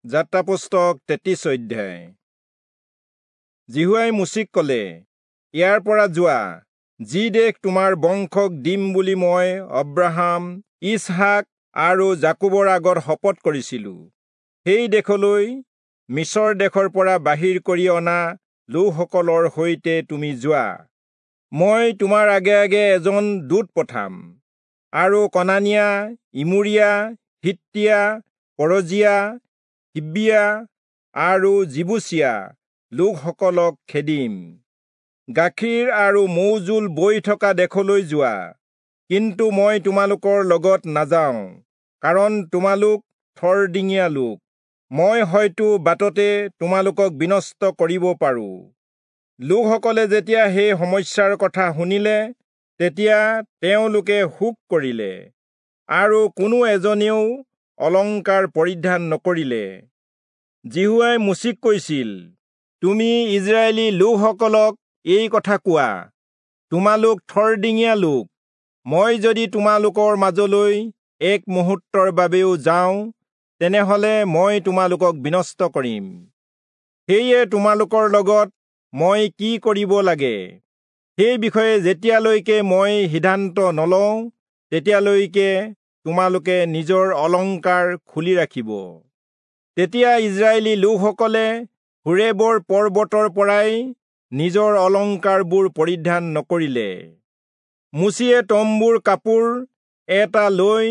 যাত্ৰা পুস্তক 33 অধ্যায়। যিহোৱাই মোচিক ক'লে, ইয়াৰ পৰা যোৱা, যি দেশ তোমাৰ বংশক দিম বুলি মই অব্ৰাহাম, ইচহাক আৰু যাকোবৰ আগত শপত কৰিছিলো, সেই দেশলৈ মিচৰ দেশৰ পৰা বাহিৰ কৰি অনা লোকসকলৰ সৈতে তুমি যোৱা। মই তোমাৰ আগে আগে এজন দূত পঠাম, আৰু কনানীয়া, ইমোৰীয়া, হিত্তীয়া, পৰজীয়া, হিব্বীয়া আৰু যিবূচীয়া লোকসকলক খেদিম। গাখীৰ আৰু মৌজোল বৈ থকা দেশলৈ যোৱা, কিন্তু মই তোমালোকৰ লগত নাযাওঁ, কাৰণ তোমালোক থৰডিঙীয়া লোক। মই হয়তো বাটতে তোমালোকক বিনষ্ট কৰিব পাৰোঁ। লোকসকলে যেতিয়া সেই সমস্যাৰ কথা শুনিলে, তেতিয়া তেওঁলোকে শোক কৰিলে, আৰু কোনো এজনেও অলংকাৰ পৰিধান নকৰিলে। যিহোৱাই মোচিক কৈছিল, তুমি ইজৰাইলী লোকসকলক এই কথা কোৱা, তোমালোক থৰডিঙীয়া লোক। মই যদি তোমালোকৰ মাজলৈ এক মুহূৰ্তৰ বাবেও যাওঁ, তেনেহলে মই তোমালোকক বিনষ্ট কৰিম। সেয়ে তোমালোকৰ লগত মই কি কৰিব লাগে, সেই বিষয়ে যেতিয়ালৈকে মই সিদ্ধান্ত নলওঁ, তেতিয়ালৈকে তোমালোকে নিজৰ অলংকাৰ খুলি ৰাখিব। তেতিয়া ইজৰাইলী লোকসকলে হোৰেবৰ পৰ্বতৰ পৰাই নিজৰ অলংকাৰবোৰ পৰিধান নকৰিলে। মোচিয়ে তম্বুৰ কাপোৰ এটা লৈ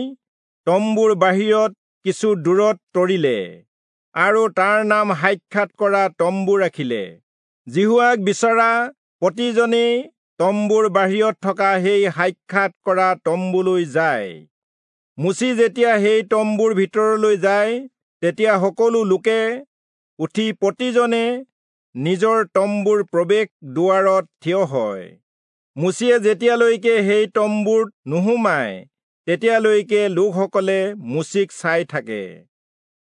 তম্বুৰ বাহিৰত কিছু দূৰত তৰিলে, আৰু তাৰ নাম সাক্ষাৎ কৰা তম্বু ৰাখিলে। যিহোৱাক বিচৰা প্ৰতিজনেই তম্বুৰ বাহিৰত থকা সেই সাক্ষাৎ কৰা তম্বুলৈ যায়। মোচি যেতিয়া সেই তম্বুৰ ভিতৰলৈ যায়, তেতিয়া সকলো লোকে উঠি প্ৰতিজনে নিজৰ তম্বুৰ প্ৰৱেশ দুৱাৰত থিয় হয়। মোচিয়ে যেতিয়ালৈকে সেই তম্বুত নোসোমায়, তেতিয়ালৈকে লোকসকলে মোচিক চাই থাকে।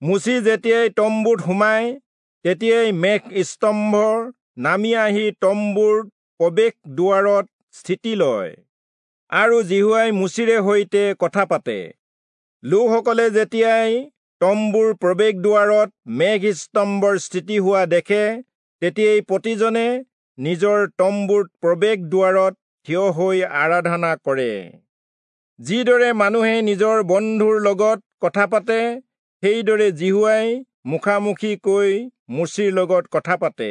মোচি যেতিয়াই তম্বুত সোমায়, তেতিয়াই মেঘ স্তম্ভ নামি আহি তম্বুৰ প্ৰৱেশ দুৱাৰত স্থিতি লয়, আৰু যিহোৱাই মোচিৰে সৈতে কথা পাতে। লোকসকলে যেতিয়াই তম্বুৰ প্ৰৱেশ দুৱাৰত মেঘ স্তম্ভৰ স্থিতি হোৱা দেখে, তেতিয়াই প্ৰতিজনে নিজৰ তম্বুৰ প্ৰৱেশ দুৱাৰত থিয় হৈ আৰাধনা কৰে। যিদৰে মানুহে নিজৰ বন্ধুৰ লগত কথা পাতে, সেইদৰে যিহোৱাই মুখামুখিকৈ মোচিৰ লগত কথা পাতে।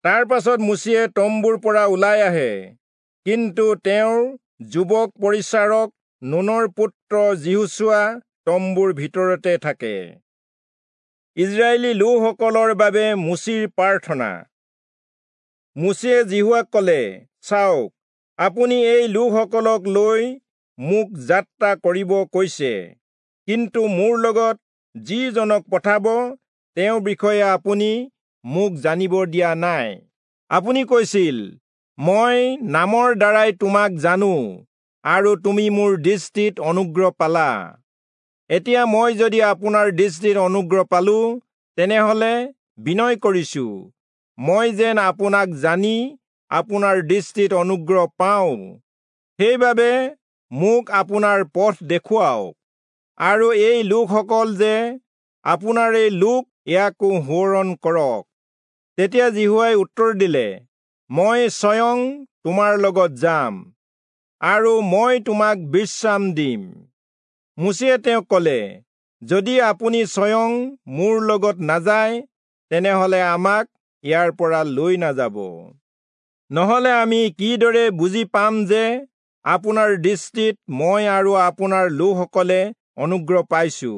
তাৰ পাছত মোচিয়ে তম্বুৰ পৰা ওলাই আহে, কিন্তু তেওঁৰ যুৱক পৰিচাৰক নুনৰ পুত্ৰ যিহোচূৱা তম্বুৰ ভিতৰতে থাকে। ইজৰাইলী লোকসকলৰ বাবে মোচিৰ প্ৰাৰ্থনা। মোচিয়ে যিহোৱাক ক'লে, চাওক, আপুনি এই লোকসকলক লৈ মোক যাত্ৰা কৰিব কৈছে, কিন্তু মোৰ লগত যিজনক পঠাব, তেওঁৰ বিষয়ে আপুনি মোক জানিব দিয়া নাই। আপুনি কৈছিল, মই নামৰ দ্বাৰাই তোমাক জানো, আৰু তুমি মোৰ দৃষ্টিত অনুগ্ৰহ পালা। এতিয়া মই যদি আপোনাৰ দৃষ্টিত অনুগ্ৰহ পালো, তেনেহলে বিনয় কৰিছো, মই যেন আপোনাক জানি আপোনাৰ দৃষ্টিত অনুগ্ৰহ পাওঁ। সেইবাবে মোক আপোনাৰ পথ দেখুৱাওক, আৰু এই লোকসকল যে আপোনাৰেই লোক, ইয়াকো সোঁৱৰণ কৰক। তেতিয়া যিহোৱাই উত্তৰ দিলে, মই স্বয়ং তোমাৰ লগত যাম, আৰু মই তোমাক বিশ্ৰাম দিম। মোচিয়ে তেওঁক ক'লে, যদি আপুনি স্বয়ং মোৰ লগত নাযায়, তেনেহলে আমাক ইয়াৰ পৰা লৈ নাযাব। নহলে আমি কিদৰে বুজি পাম যে আপোনাৰ দৃষ্টিত মই আৰু আপোনাৰ লোকসকলে অনুগ্ৰহ পাইছো,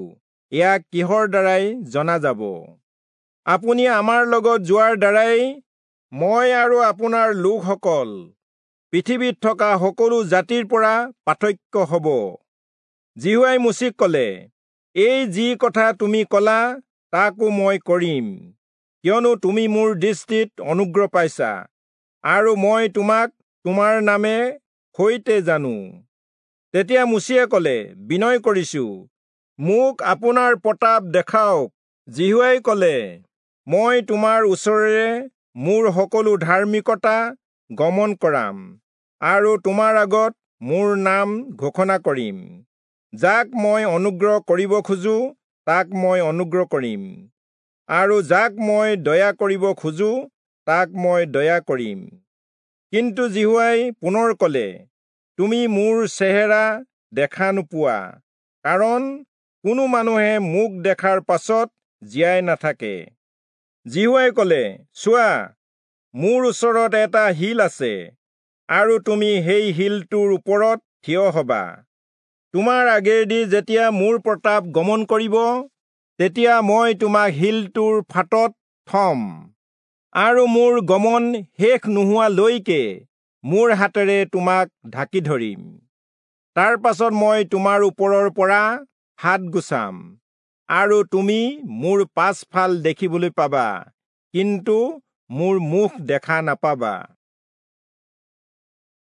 ইয়াক কিহৰ দ্বাৰাই জনা যাব? আপুনি আমাৰ লগত যোৱাৰ দ্বাৰাই মই আৰু আপোনাৰ লোকসকল পৃথিৱীত থকা সকলো জাতিৰ পৰা পাৰ্থক্য হ'ব। যিহোৱাই মোচিক ক'লে, এই যি কথা তুমি ক'লা, তাকো মই কৰিম, কিয়নো তুমি মোৰ দৃষ্টিত অনুগ্ৰহ পাইছা, আৰু মই তোমাক তোমাৰ নামে সৈতে জানো। তেতিয়া মোচিয়ে ক'লে, বিনয় কৰিছো, মোক আপোনাৰ প্ৰতাপ দেখাওক। যিহোৱাই ক'লে, মই তোমাৰ ওচৰেৰে মোৰ সকলো ধাৰ্মিকতা গমন কৰাম, আৰু তোমাৰ আগত মোৰ নাম ঘোষণা কৰিম। যাক মই অনুগ্ৰহ কৰিব খোজো, তাক মই অনুগ্ৰহ কৰিম। আৰু যাক মই দয়া কৰিব খোজো তাক মই দয়া কৰিম। কিন্তু যিহোৱাই পুনৰ কলে, তুমি মোৰ চেহেৰা দেখা নোপোৱা, কাৰণ কোনো মানুহে মোক দেখাৰ পাছত জীয়াই নাথাকে। যিহোৱাই কলে, চোৱা, মোৰ ওচৰত এটা শিল আছে, আৰু তুমি সেই শিলটোৰ ওপৰত থিয় হবা। তোমাৰ আগেদি যেতিয়া মোৰ প্ৰতাপ গমন কৰিব, তেতিয়া মই তোমাক শিলটোৰ ফাটত থম, আৰু মোৰ গমন শেষ নোহোৱালৈকে মোৰ হাতেৰে তোমাক ঢাকি ধৰিম। তাৰ পাছত মই তোমাৰ ওপৰৰ পৰা হাত গুচাম, আৰু তুমি মোৰ পাছফাল দেখিবলৈ পাবা, কিন্তু মোৰ মুখ দেখা নাপাবা।